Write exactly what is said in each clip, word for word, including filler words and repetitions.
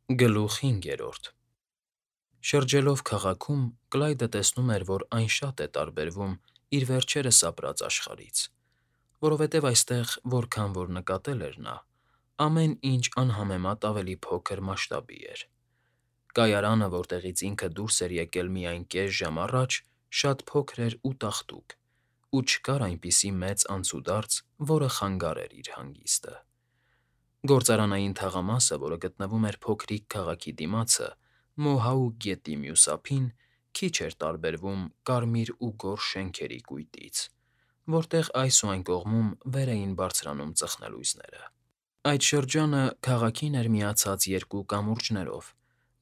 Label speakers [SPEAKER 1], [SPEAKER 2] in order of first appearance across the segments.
[SPEAKER 1] Գլուխ հինգերորդ Շրջելով քաղաքում՝ Կլայդը տեսնում էր, որ այն շատ է տարբերվում իր վերջերս ապրած աշխարհից, որովհետև այստեղ, որքան որ նկատել էր նա, ամեն ինչ անհամեմատ ավելի փոքր մասշտաբի էր. կայարանը, որտեղից ինքը դուրս էր եկել միայն կես ժամ առաջ, շատ փոքր էր ու տաղտուկ, ու չկար այնպիսի մեծ անցուդարձ, որը խանգարեր իր հանգիստը։ Գործարանային թաղամասը, որը գտնվում էր փոքրիկ քաղաքի դիմացը, Մոհաուկ գետի մյուս ափին, քիչ էր տարբերվում կարմիր ու գորշ շենքերի կույտից, որտեղ այս ու այն կողմում վեր էին բարձրանում ծխնելույզները։ Այդ շրջանը քաղաքին էր միացած երկու կամուրջներով,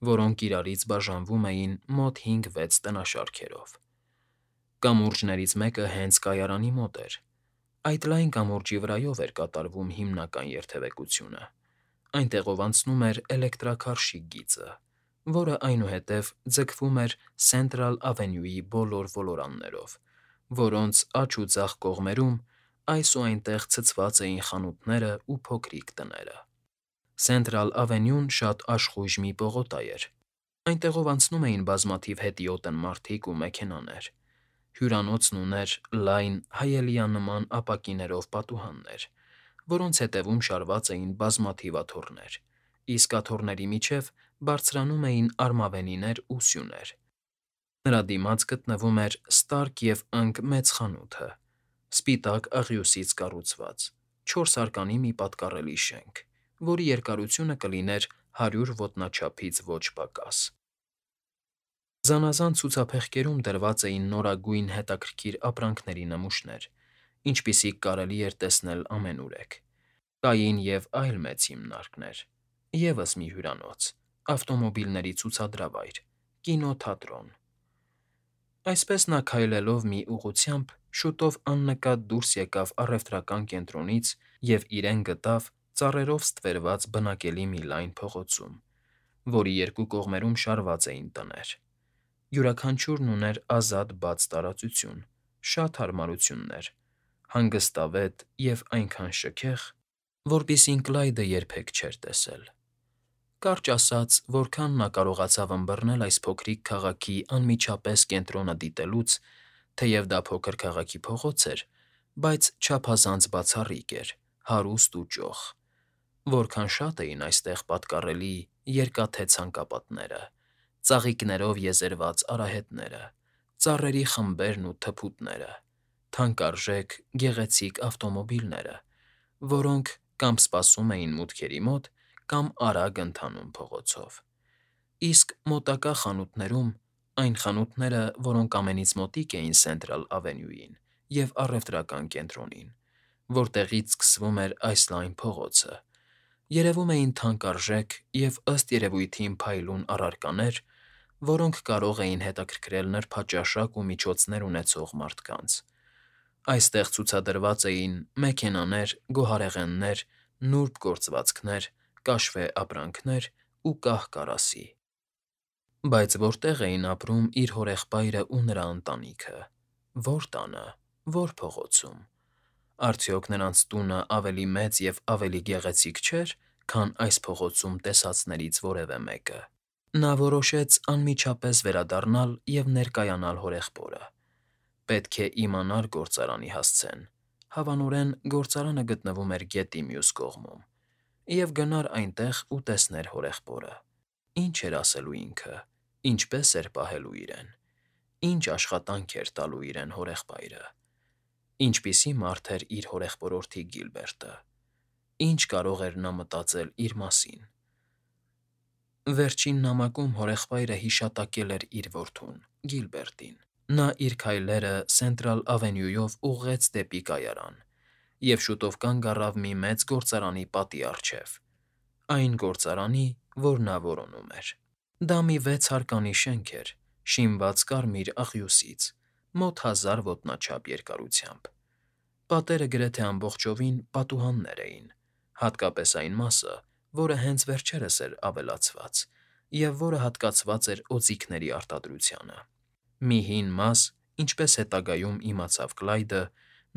[SPEAKER 1] որոնք իրարից բաժանվում էին մոտ հինգ֊վեց տնաշարքերով։ Կամուրջներից մեկը հենց կայարանի մոտ էր։ Այդ լայն կամուրջի վրայով էր կատարվում հիմնական երթևեկությունը։ Այնտեղով անցնում էր էլեկտրաքարշի գիծը, որը այնուհետև ձգվում էր Սենտրալ Ավենյուի բոլոր ոլորաններով, որոնց աջ ու ձախ կողմերում այս ու այնտեղ ցցված էին խանութներն ու փոքրիկ տները։ Սենտրալ Ավենյուն շատ աշխույժ մի պողոտա էր։ Այնտեղով անցնում էին բազմաթիվ հետիոտն մարդիկ ու մեքենաներ։ Հյուրանոցն ուներ լայն, հայելիանման ապակիներով պատուհաններ, որոնց ետևում շարված էին բազմաթիվ աթոռներ, իսկ աթոռների միջև բարձրանում էին արմավենիներ ու սյուներ։ Նրա դիմաց գտնվում էր Ստարկ և Ընկ մեծ խանութը, սպիտակ աղյուսից կառուցված, չորսարկանի մի պատկառելի շենք, որի երկարությունը կլիներ հարյուր ոտնաչափից ոչ պակաս։ Զանազան ցուցափեղկերում դրված էին նորագույն հետաքրքիր ապրանքների նմուշներ, ինչպիսիք կարելի էր տեսնել ամենուրեք։ Կային և այլ մեծ հիմնարկներ, ևս մի հյուրանոց, ավտոմոբիլների ցուցադրավայր, կինոթատրոն։ Այսպես նա քայլելով մի ուղղությամբ շուտով աննկատ դուրս եկավ առևտրական կենտրոնից և իրեն գտավ ծառերով ստվերված բնակելի մի լայն փողոցում, որի երկու կողմերում շարված էին տներ։ Յուրաքանչյուրն ուներ ազատ բաց տարածություն, շատ հարմարություններ, հանգստավետ և այնքան շքեղ, որպիսին Կլայդը երբեք չէր տեսել։ Կարճ ասած, որքան նա կարողացավ ըմբռնել այս փոքրիկ քաղաքի անմիջապես կենտրոնը դիտելուց, թեև դա փոքր քաղաքի փողոց էր, բայց չափազանց բացառիկ էր, հարուստ ու ճոխ։ Որքան շատ էին այստեղ պատկառելի երկաթե ցանկապատները, ծաղիկներով եզերված արահետները, ծառերի խմբերն ու թփուտները, թանկարժեք, գեղեցիկ ավտոմոբիլները, որոնք կամ սպասում էին մուտքերի մոտ, կամ արագ ընթանում փողոցով։ Իսկ մոտակա խանութներում, այն խանութները, որոնք ամենից մոտիկ էին Սենտրալ Ավենյուին և առևտրական կենտրոնին, որտեղից սկսվում էր այս լայն փողոցը, երևում էին թանկարժեք և ըստ երևույթին փայլուն առարկաներ, որոնք կարող էին հետաքրքրել նրբաճաշակ ու միջոցներ ունեցող մարդկանց։ Այստեղ ցուցադրված էին մեքենաներ, գոհարեղեններ, նուրբ գործվածքներ, կաշվե ապրանքներ ու կահ֊կարասի։ Բայց որտե՞ղ էին ապրում իր հորեղբայրն ու նրա ընտանիքը, ո՞ր տանը, ո՞ր փողոցում։ Արդյոք նրանց տունն ավելի մեծ և ավելի գեղեցիկ չէր, քան այս փողոցում տեսածներից որևէ մեկը։ Նա որոշեց անմիջապես վերադառնալ և ներկայանալ հորեղբորը։ Պետք է իմանար գործարանի հասցեն, հավանորեն գործարանը գտնվում էր գետի մյուս կողմում, և գնար այնտեղ ու տեսներ հորեղբորը։ Ինչ էր ասելու ինքը, ինչպես էր պահելու իրեն, ինչ աշխատանք էր տալու իրեն հորեղբայրը։ Ինչպիսի մարդ էր իր հորեղբորորդի Գիլբերտը, ինչ կարող էր նա մտածել իր մասին։ Վերջին նամակում հորեղբայրը հիշատակել էր իր որդուն՝ Գիլբերտին։ Նա իր քայլերը Սենտրալ Ավենյուով ուղղեց դեպի կայարան և շուտով կանգ առավ մի մեծ գործարանի պատի առջև, այն գործարանի, որ նա որոնում էր։ Դա մի վեցհարկանի շենք էր՝ շինված կարմիր աղյուսից, մոտ հազար ոտնաչափ երկարությամբ։ Պատերը գրեթե ամբողջովին պատուհաններ էին, հատկապես այն մասը, որը հենց վերջերս էր ավելացված և որը հատկացված էր օձիքների արտադրությանը։ Մի հին մաս, ինչպես հետագայում իմացավ Կլայդը,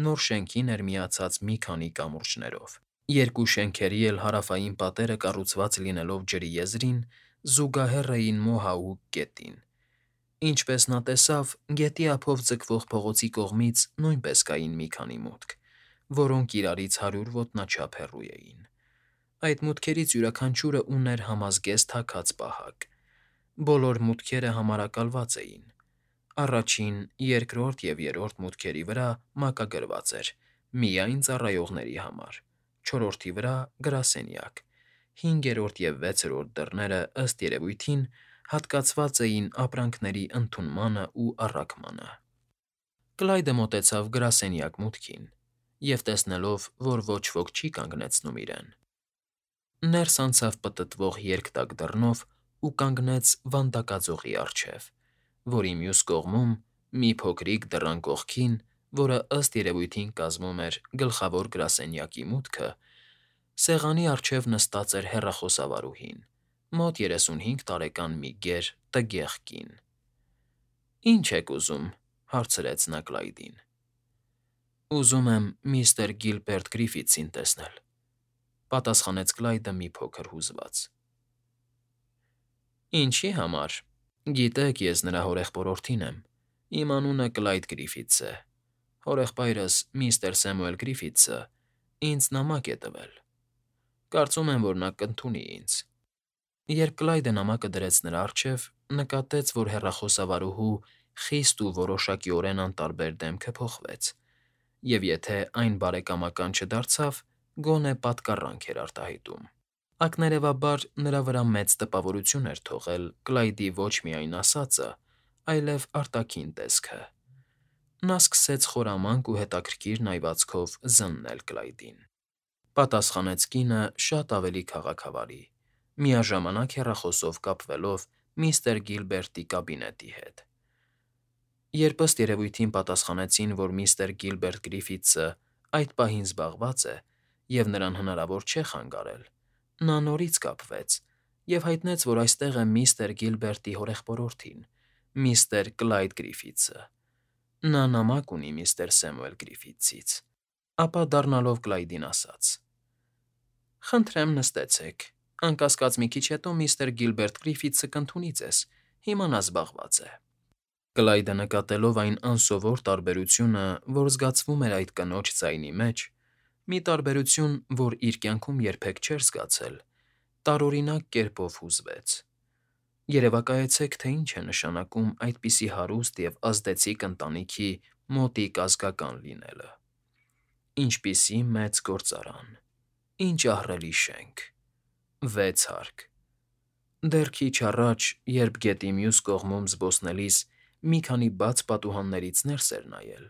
[SPEAKER 1] նոր շենքին էր միացած մի քանի կամուրջներով, Երկու շենքերի էլ հարավային պատերը կառուցված լինելով ջրի եզրին, զուգահեռ էին մոհաուկ գետին։ Ինչպես նա տեսավ, գետի ափով ձգվող փողոցի կողմից նույնպես կային մի քանի մուտք, որոնք իրարից հարյուր ոտնաչափ հեռու էին։ Այդ մուտքերից յուրաքանչյուրը ուներ համազգեստ հագած պահակ։ Բոլոր մուտքերը համարակալված էին։ Առաջին, երկրորդ և երրորդ մուտքերի վրա մակագրված էր «Միայն ծառայողների համար», չորրորդի վրա՝ «Գրասենյակ», հինգերորդ և վեցերորդ դռները, ըստ երևույթին, հատկացված էին ապրանքների ընդունմանն ու առաքմանը։ Կլայդը մոտեցավ գրասենյակ մուտքին և, տեսնելով, որ ոչ ոք չի կանգնեցնում իրեն, ներս անցավ պտտվող երկտակ դռնով ու կանգնեց վանդակաձողի առջև, որի մյուս կողմում, մի փոքրիկ դռան կողքին, որը, ըստ երևույթին, կազմում էր գլխավոր գրասենյակի մուտքը, սեղանի առջև նստած էր հեռախոսավարուհին, մոտ երեսունհինգ տարեկան մի գեր, տգեղ կին։ ֊ Ի՞նչ եք ուզում,֊ հարցրեց նա Կլայդին։ ֊ Ուզում եմ միստր Գիլբերտ Գրիֆիթսին տեսնել,֊ պատասխանեց Կլայդը մի փոքր հուզված։ ֊ Ինչի՞ համար։ Գիտեք, ես նրա հորեղբորորդին եմ, իմ անունը Կլայդ Գրիֆիթս է, հորեղբայրս՝ միստր Սեմուել Գրիֆիթսը, ինձ նամակ է տվել։ Կարծում եմ, որ նա կընդունի ինձ։ Երբ Կլայդը նամակը դրեց նրա առջև, նկատեց, որ հեռախոսավարուհու խիստ ու որոշակիորեն անտարբեր դեմքը փոխվեց, և եթե այն բարեկամական չդարձավ, գոնե պատկառանք էր արտահայտում։ Ակներևաբար նրա վրա մեծ տպավորություն էր թողել Կլայդի ոչ միայն ասածը, այլև արտաքին տեսքը։ Նա սկսեց խորամանկ ու հետաքրքիր նայվածքով զննել Կլայդին։ Պատասխանեց կինը շատ ավելի քաղաքավարի, միաժամանակ հեռախոսով կապվելով միստր Գիլբերտի կաբինետի հետ։ Երբ ըստ երևույթին պատասխանեցին, որ միստր Գիլբերտ Գրիֆիթսը այդ պահին զբաղված է և նրան հնարավոր չէ խանգարել, նա նորից կապվեց և հայտնեց, որ այստեղ է միստր Գիլբերտի հորեղբորորդին՝ միստր Կլայդ Գրիֆիթսը։ Նա նամակ ունի միստր Սեմուել Գրիֆիթսից։ Ապա դառնալով Կլայդին ասաց. «Խնդրեմ նստեցեք, անկասկած մի քիչ հետո միստր Գիլբերտ Գրիֆիթսը կընդունի ձեզ, հիմա նա զբաղված է»։ Կլայդը նկատելով այն անսովոր տարբերությունը, որ զգացվում էր այդ կնոջ ձայնի մեջ, մի տարբերություն, որ իր կյանքում երբեք չէր զգացել, տարօրինակ կերպով հուզվեց։ Երևակայեցեք, թե ինչ է նշանակում այդպիսի հարուստ և ազդեցիկ ընտանիքի մոտիկ ազգական լինելը։ Ինչպիսի մեծ գործարան, ինչ ահռելի շենք, վեց հարկ։ Դեռ քիչ առաջ, երբ գետի մյուս կողմում զբոսնելիս մի քանի բաց պատուհաններից ներս էր նայել,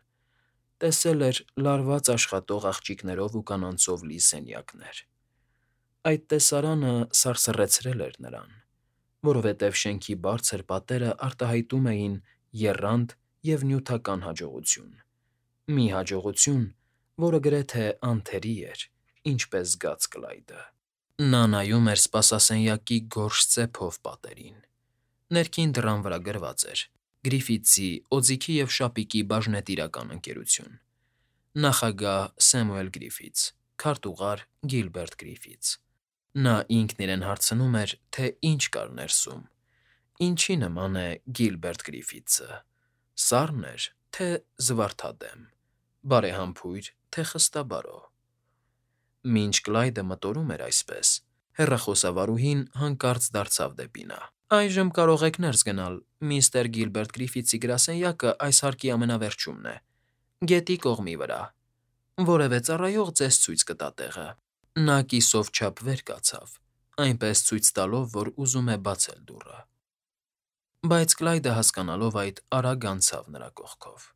[SPEAKER 1] տեսել էր լարված աշխատող աղջիկներով ու կանանցով լի սենյակներ։ Այդ տեսարանը սարսռեցրել էր նրան, որովհետև շենքի բարձր պատերը արտահայտում էին եռանդ և նյութական հաջողություն, մի հաջողություն, որը գրեթե անթերի էր, ինչպես զգաց Կլայդը։ Նա նայում էր սպասասենյակի գորշ ծեփով պատերին։ Ներքին դռան վրա գրված էր. «Գրիֆիթսի, օձիքի և շապիկի բաժնետիրական ընկերություն։ Նախագահ՝ Սեմուել Գրիֆիթս, քարտուղար՝ Գիլբերտ Գրիֆիթս»։ Նա ինքն իրեն հարցնում էր, թե ինչ կար ներսում, ինչի նման է Գիլբերտ Գրիֆիթսը՝ սառն էր, թե զվարթադեմ, բարեհամբույր, թե խստաբարո։ Մինչ Կլայդը մտորում էր այսպես, հեռախոսավարուհին հանկարծ դարձավ դեպի նա. «Այժմ կարող եք ներս գնալ, միստր Գիլբերտ Գրիֆիթսի գրասենյակը այս հարկի ամենավերջումն է, գետի կողմի վրա։ Որևէ ծառայող ձեզ ցույց կտա տեղը»։ Նա կիսով չափ վեր կացավ, այնպես ցույց տալով, որ ուզում է բացել դուռը։ Բայց Կլայդը, հասկանալով այդ, արագ անցավ նրա կողքով։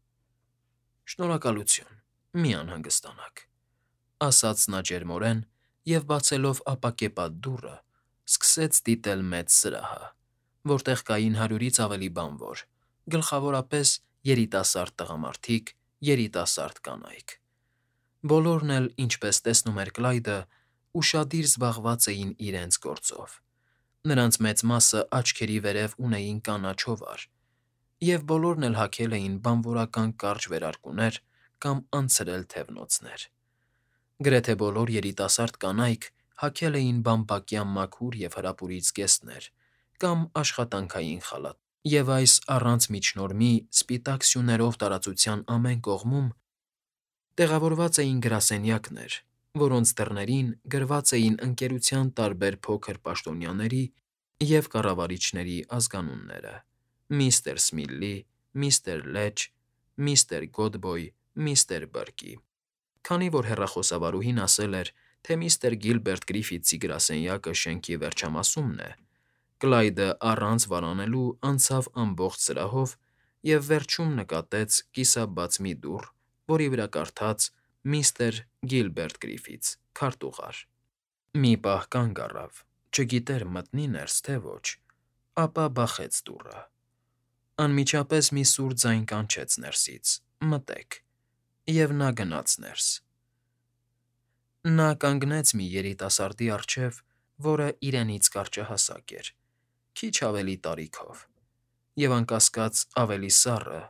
[SPEAKER 1] «Շնորհակալություն, մի անհանգստանաք», ֊ ասաց նա ջերմորեն և, բացելով ապակեպատ դուռը, սկսեց դիտել մեծ սրահը, որտեղ կային հարյուրից ավելի բանվոր, գլխավորապես երիտասարդ տղամարդիկ, երիտասարդ կանայք։ Բոլորն էլ, ինչպես տեսնում էր Կլայդը, ուշադիր զբաղված էին իրենց գործով։ Նրանց մեծ մասը աչքերի վերև ունեին կանաչ հովար, և բոլորն էլ հագել էին բանվորական կարճ վերարկուներ կամ անցրել թևնոցներ։ Գրեթե բոլոր երիտասարդ կանայք հագել էին բամբակյա մաքուր և հրապուրիչ զգեստներ կամ աշխատանքային խալաթ, և այս առանց միջնորմի սպիտակ սյուներով տարածության ամեն կողմում տեղավորված էին գրասենյակներ, որոնց դռներին գրված էին ընկերության տարբեր փոքր պաշտոնյաների և կառավարիչների ազգանունները. միստր Սմիլլի, միստր Լեչ, միստր Գոդբոյ, միստր Բըրկի։ Քանի որ հեռախոսավարուհին ասել էր, թե միստր Գիլբերտ Գրիֆիթսի գրասենյակը շենքի վերջամասումն է, Կլայդը առանց վարանելու անցավ ամբողջ սրահով և վերջում նկատեց կիսաբաց մի դուռ, որի վրա կարդաց «Միստր Գիլբերտ Գրիֆիթս, քարտուղար»։ Մի պահ կանգ առավ, չգիտեր մտնի՞ ներս, թե ոչ, ապա բախեց դուռը։ Անմիջապես մի սուր ձայն կանչեց ներսից. «Մտե՛ք», և նա գնաց ներս։ Նա կանգնեց մի երիտասարդի առջև, որը իրենից կարճահասակ էր, քիչ ավելի տարիքով, և անկասկած ավելի սառը,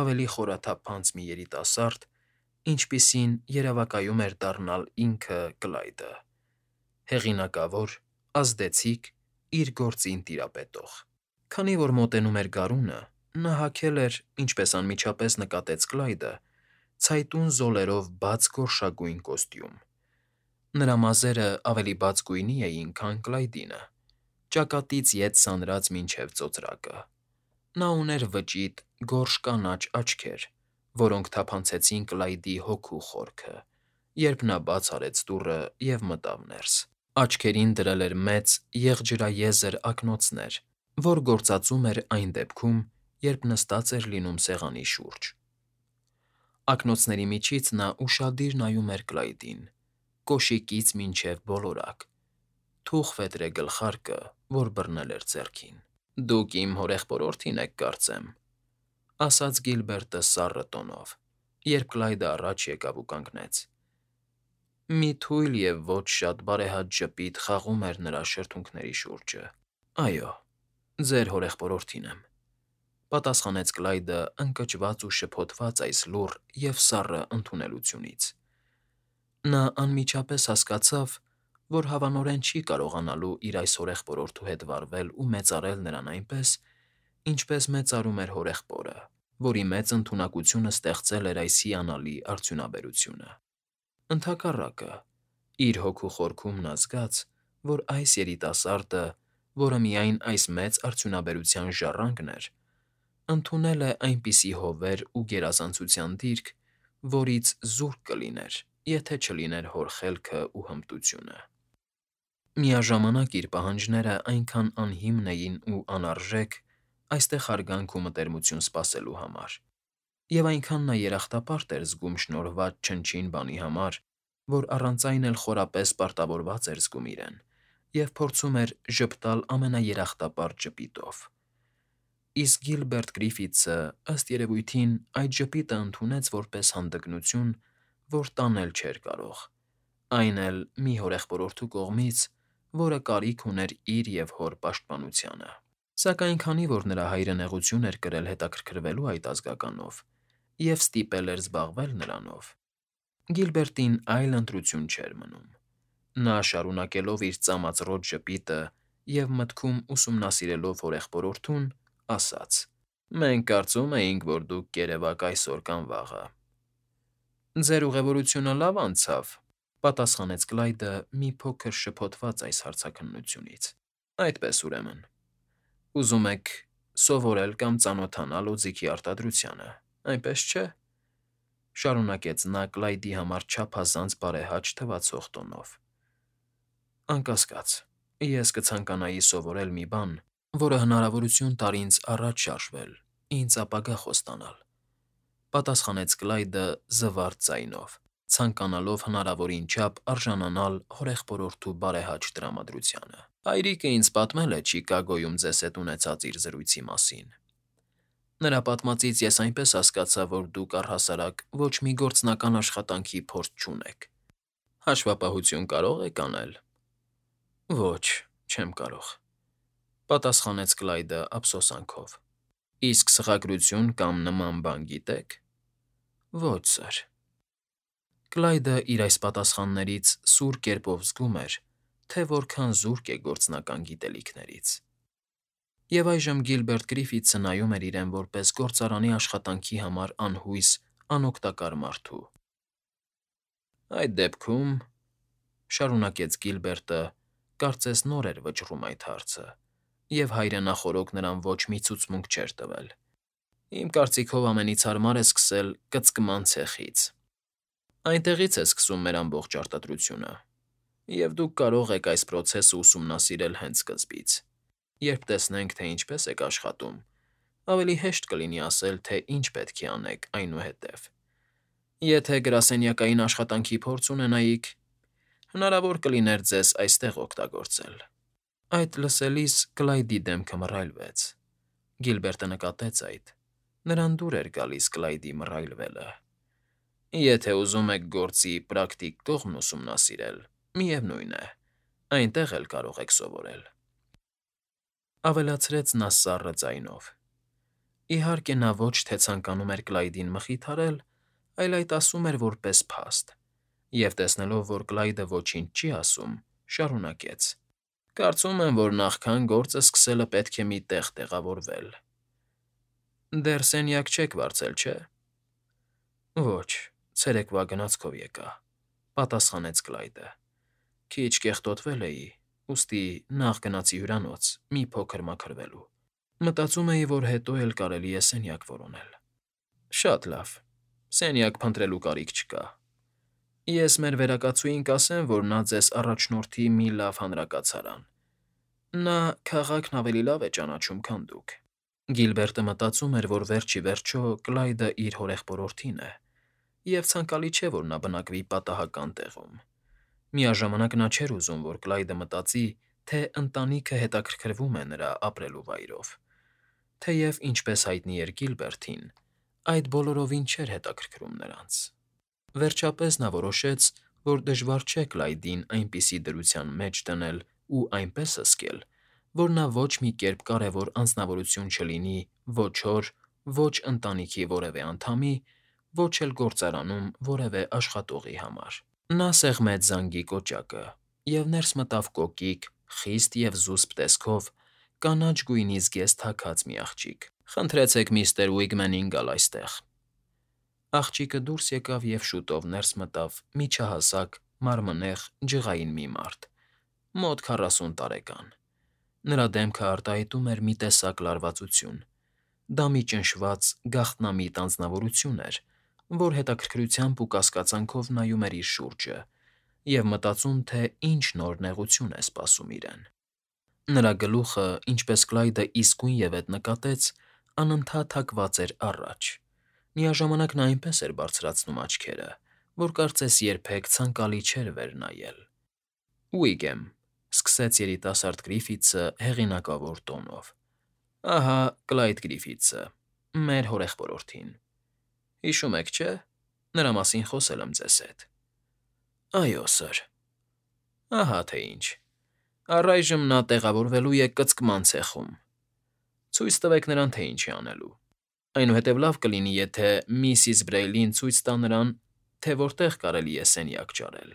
[SPEAKER 1] ավելի խորաթափանց մի երիտասարդ, ինչպիսին երևակայում էր դառնալ ինքը Կլայդը՝ հեղինակավոր, ազդեցիկ, իր գործին տիրապետող։ Քանի որ մոտենում էր գարունը, նա հագել էր, ինչպես անմիջապես նկատեց Կլայդը, ցայտուն զոլերով բաց գորշագույն կոստյում։ Նրա մազերը ավելի բաց գույնի էին, քան Կլայդինը, ճակատից ետ սանրած մինչև ծոծրակը։ Նա ուներ վճիտ, գորշ կանաչ աչքեր, որոնք թափանցեցին Կլայդի հոգու խորքը, երբ նա բաց արեց դուռը և մտավ ներս։ Աչքերին դրել էր մեծ, եղջրաեզր ակնոցներ, որ գործածում էր այն դեպքում, երբ նստած էր լինում սեղանի շուրջ։ Ակնոցների միջից նա ուշադիր նայում էր Կլայդին, կոշիկից մինչև բոլորակ, թուխ վետրե գլխարկը, որ բռնել էր ձեռքին։ «Դուք իմ հորեղբորորդին եք, կարծեմ», ֊ ասաց Գիլբերտը սառը տոնով, երբ Կլայդը առաջ եկավ ու կանգնեց։ Մի թույլ և ոչ շատ բարեհաճ ժպիտ խաղում էր նրա շրթունքների շուրջը։ «Այո, ձեր հորեղբորորդին եմ», ֊ պատասխանեց Կլայդը ընկճված ու շփոթված այս լուռ և սառը ընդունելությունից։ Նա անմիջապես հասկացավ, որ հավանորեն չի կարողանալու իր այս հորեղբորորդու հետ վարվել ու մեծարել նրան այնպես, ինչպես մեծարում էր հորեղբորը, որի մեծ ընդունակությունը ստեղծել էր այս հիանալի արդյունաբերությունը։ Ընդհակառակը, իր հոգու խորքում նա զգաց, որ այս երիտասարդը, որը միայն այս մեծ արդյունաբերության ժառանգն էր, ընդունել է այնպիսի հովեր ու գերազանցության դիրք, որից զուրկ կլիներ, եթե չլիներ հոր խելքը ու հմտությունը։ Միաժամանակ իր պահանջները այնքան անհիմն էին ու անարժեք այստեղ հարգանք ու մտերմություն սպասելու համար, և այնքան նա երախտապարտ էր զգում շնորհված չնչին բանի համար, որ առանց այն էլ խորապես պարտավորված էր զգում իրեն և փորձում էր ժպտալ ամենաերախտապարտ ժպիտով։ Իսկ Գիլբերտ Գրիֆիթսը, ըստ երևույթին, այդ ժպիտը ընդունեց որպես հանդգնություն, որ տանել չէր կարող, այն էլ մի հորեղբորորդու կողմից, որը կարիք ուներ իր և հոր պաշտպանությանը։ Սակայն քանի որ նրա հայրը նեղություն էր կրել հետաքրքրվելու այդ ազգականով և ստիպել էր զբաղվել նրանով, Գիլբերտին այլ ընտրություն չէր մնում։ Նա, շարունակելով իր ծամածռոտ ժպիտը և մտքում ուսումնասիրելով հորեղբորորդուն, ասաց. «Մենք կարծում էինք, որ դուք կերևաք այսօր կամ վաղը»։ «Ձեր ուղևորությունը լավ անցավ», ֊ պատասխանեց Կլայդը մի փոքր շփոթված այս հարցաքննությունից։ «Այդպես, ուրեմն, ուզում եք սովորել կամ ծանոթանալ օձիքի արտադրությանը, այնպես չէ՞, ֊ շարունակեց նա Կլայդի համար չափազանց բարեհաճ թվացող տոնով։ «Անկասկած, ես կցանկանայի սովորել մի բան, որը հնարավորություն տար ինձ առաջ շարժվել, ինձ ապագա խոստանալ», ֊ պատասխանեց Կլայդը զվարթ ձայնով, ցանկանալով հնարավորին չափ արժանանալ հորեղբորորդու բարեհաճ տրամադրությանը։ «Հայրիկը ինձ պատմել է Չիկագոյում ձեզ հետ ունեցած իր զրույցի մասին։ Նրա պատմածից ես այնպես հասկացա, որ դուք առհասարակ ոչ մի գործնական աշխատանքի փորձ չունեք։ Հաշվապահություն կարո՞ղ եք անել»։ «Ոչ, չեմ կարող», ֊ պատասխանեց Կլայդը ափսոսանքով։ «Իսկ սղագրություն կամ նման բան գիտե՞ք»։ «Ոչ, սըր»։ Կլայդը իր այս պատասխաններից սուր կերպով զգում էր, թե որքան զուրկ է գործնական գիտելիքներից։ Եվ այժմ Գիլբերտ Գրիֆիթսը նայում էր իրեն որպես գործարանի աշխատանքի համար անհույս, անօգտակար մարդու։ Այդ դեպքում, շարունակեց Գիլբերտը, կարծես նոր էր վճռում այդ հարցը, և հայրենախորոք նրան ոչ մի ցուցմունք չէր տվել։ Իմ կարծիքով ամենից հարմար է սկսել կծկման ցեխից։ Այնտեղից է սկսվում մեր ամբողջ արտադրությունը, և դուք կարող եք այս պրոցեսը ուսումնասիրել հենց սկզբից։ Երբ տեսնենք, թե ինչպես եք աշխատում, ավելի հեշտ կլինի ասել, թե ինչ պետք է անեք այնուհետև։ Եթե գրասենյակային աշխատանքի փորձ ունենայիք, հնարավոր կլիներ ձեզ այստեղ օգտագործել։ Այդ լսելիս Կլայդի դեմքը մռայլվեց։ Գիլբերտը նկատեց այդ. նրան դուր էր գալիս Կլայդի մռայլվելը։ Եթե ուզում եք գործի պրակտիկ կողմն ուսումնասիրել, միևնույն է, այնտեղ էլ կարող եք սովորել,֊ ավելացրեց նա սառը ձայնով։ Իհարկե, նա ոչ թե ցանկանում էր Կլայդին մխիթարել, այլ այդ ասում էր որպես փաստ, և տեսնելով, որ Կլայդը ոչինչ չի ասում, շարունակեց. Կարծում եմ, որ նախքան գործը սկսելը պետք է մի տեղ տեղավորվել։ Դեռ սենյակ չեք վարձել, չէ՞։ Ոչ, ցերեկվա գնացքով եկա,֊ պատասխանեց Կլայդը։ Քիչ կեղտոտվել էի, ուստի նախ գնացի հյուրանոց մի փոքր մաքրվելու։ Մտածում էի, որ հետո էլ կարելի է սենյակ որոնել։ Շատ լավ, սենյակ փնտրելու կարիք չկա։ Ես մեր վերակացուհին կասեմ, որ նա ձեզ առաջնորդի մի լավ հանրակացարան։ Նա քաղաքն ավելի լավ է ճանաչում, քան դուք։ Գիլբերտը մտածում էր, որ վերջ ի վերջո Կլայդը իր հորեղբորորդին է, և ցանկալի չէ, որ նա բնակվի պատահական տեղում։ Միաժամանակ նա չէր ուզում, որ Կլայդը մտածի, թե ընտանիքը հետաքրքրվում է նրա ապրելու վայրով, թեև, ինչպես հայտնի էր Գիլբերտին, այդ բոլորովին չէր հետաքրքրում նրանց։ Վերջապես նա որոշեց, որ դժվար չէ Կլայդին այնպիսի դրության մեջ դնել ու այնպես հսկել, որ նա ոչ մի կերպ կարևոր անձնավորություն չլինի ոչ հոր, ոչ ընտանիքի որևէ անդամի, ոչ էլ գործարանում որևէ աշխատողի համար։ Նա սեղմեց զանգի կոճակը և ներս մտավ կոկիկ, խիստ և զուսպ տեսքով, կանաչ գույնի զգեստ թաքած մի աղջիկ։ Խնդրեցեք միստր Ուիգմենին գալ այստեղ։ Աղջիկը դուրս եկավ և շուտով ներս մտավ միջահասակ, մարմնեղ, ջղային մի մարդ, մոտ քառասուն տարեկան։ Նրա դեմքը արտահայտում էր մի տեսակ լարվածություն։ Դա մի ճնշված, գաղտնամիտ անձնավորություն էր, որ հետաքրքրությամբ ու կասկածանքով նայում էր իր շուրջը և մտածում, թե ինչ նոր նեղություն է սպասում իրեն։ Նրա գլուխը, ինչպես Կլայդը իսկույնևեթ նկատեց, անընդհատ հակված էր առաջ, միաժամանակ նա այնպես էր բարձրացնում աչքերը, որ կարծես երբեք ցանկալի չէր վեր նայել։ Ուիգեմ,֊ սկսեց երիտասարդ Գրիֆիթսը հեղինակավոր տոնով,֊ ահա Կլայդ Գրիֆիթսը, մեր հորեղբորորդին։ Հիշում եք, չէ՞, նրա մասին խոսել եմ ձեզ հետ։ Այո, սըր։ Ահա թե ինչ։ Առայժմ նա տեղավորվելու է կծկման ցեխում։ Ցույց տվեք նրան, թե ինչ է անելու։ Այնուհետև լավ կլինի, եթե միսիս Բրեյլին ցույց տա նրան, թե որտեղ կարելի է սենյակ ճարել։